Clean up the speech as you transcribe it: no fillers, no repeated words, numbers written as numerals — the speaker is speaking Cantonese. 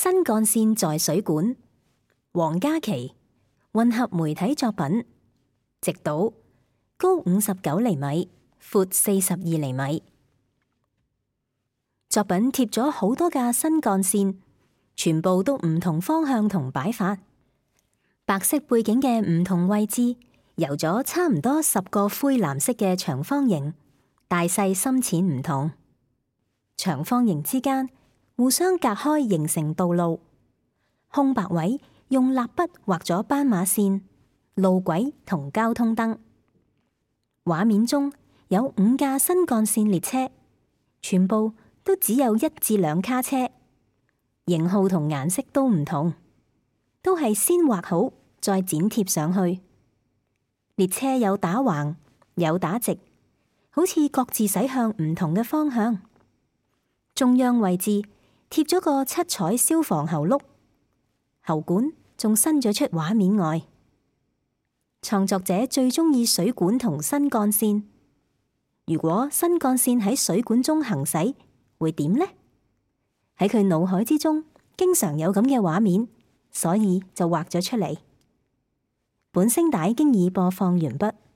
新幹線在水管，黃嘉祺，混合媒體作品，直島，高59厘米，闊42厘米。作品貼咗好多架新幹線，全部都唔同方向同擺法，白色背景嘅唔同位置，油咗差唔多10個灰藍色嘅長方形，大細深淺唔同。長方形之間互相隔開形成道路，空白位用蠟筆畫咗斑馬線、路軌同交通燈。畫面中有5架新幹線列車，全部都只有1至2卡車，型號同顏色都唔同，都係先畫好再剪貼上去。列車有打橫，有打直，好似各自駛向唔同嘅方向。中央位置貼咗個7彩消防喉轆，喉管仲伸咗出畫面外。創作者最鍾意水管同新幹線。如果新幹線喺水管中行駛，會點呢？喺佢腦海之中，經常有咁嘅畫面，所以就畫咗出嚟。本聲帶經已播放完畢。